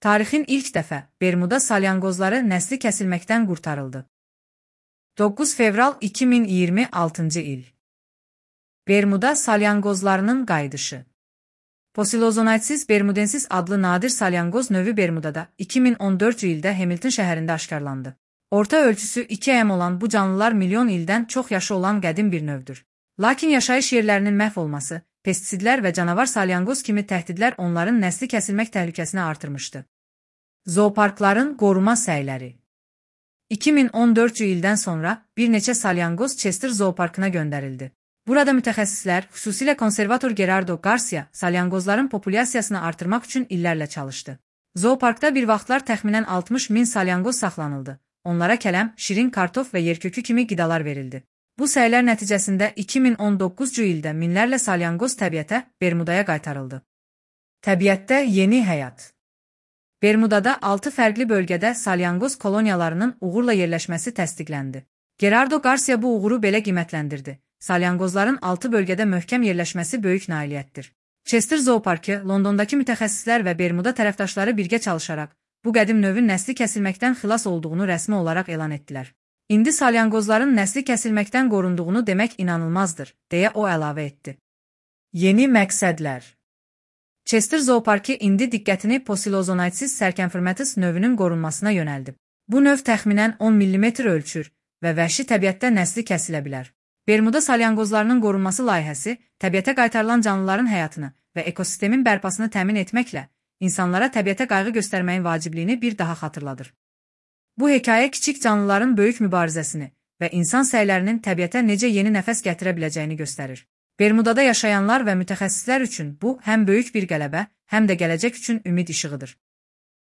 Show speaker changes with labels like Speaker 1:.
Speaker 1: Tarixin ilk dəfə Bermuda salyanqozları nəsli kəsilməkdən qurtarıldı. 9 fevral 2026 il. Bermuda salyanqozlarının qayıdışı. Posilozonaytsis bermudensis adlı nadir salyanqoz növü Bermudada 2014 ildə Hamilton şəhərində aşkarlandı. Orta ölçüsü 2 m olan bu canlılar milyon ildən çox yaşı olan qədim bir növdür. Lakin yaşayış yerlərinin məhv olması, pestisidlər və canavar salyanqoz kimi təhdidlər onların nəsli kəsilmək təhlükəsini artırmışdı. Zooparkların qoruma səyləri. 2014 ildən sonra bir neçə salyanqoz Chester Zooparkına göndərildi. Burada mütəxəssislər, xüsusilə konservator Gerardo Garcia, salyanqozların populyasiyasını artırmaq üçün illərlə çalışdı. Zooparkda bir vaxtlar təxminən 60 min salyanqoz saxlanıldı. Onlara kələm, şirin kartof və yerkökü kimi qidalar verildi. Bu səylər nəticəsində 2019 ildə minlərlə salyanqoz təbiətə, Bermudaya qaytarıldı. Təbiətdə yeni həyat. Bermudada 6 fərqli bölgədə salyanqoz koloniyalarının uğurla yerləşməsi təsdiqləndi. Gerardo Garcia bu uğuru belə qiymətləndirdi. Salyanqozların 6 bölgədə möhkəm yerləşməsi böyük nailiyyətdir. Chester Zooparkı, Londondakı mütəxəssislər və Bermuda tərəfdaşları birgə çalışaraq, bu qədim növün nəsli kəsilməkdən xilas olduğunu rəsmi olaraq elan etdilər. İndi salyanqozların nəsli kəsilməkdən qorunduğunu demək inanılmazdır, deyə o əlavə etdi. Yeni məqsədlər. Chester Zooparkı indi diqqətini Posilozonaytsis sərkənfirmətis növünün qorunmasına yönəldib. Bu növ təxminən 10 mm ölçür və vəhşi təbiətdə nəsli kəsilə bilər. Bermuda salyanqozlarının qorunması layihəsi, təbiətə qaytarılan canlıların həyatını və ekosistemin bərpasını təmin etməklə, insanlara təbiətə qayğı göstərməyin vacibliyini bir daha xatırladır. Bu hekayə kiçik canlıların böyük mübarizəsini və insan səylərinin təbiətə necə yeni nəfəs gətirə biləcəyini göstərir. Bermudada yaşayanlar və mütəxəssislər üçün bu həm böyük bir qələbə, həm də gələcək üçün ümid işığıdır.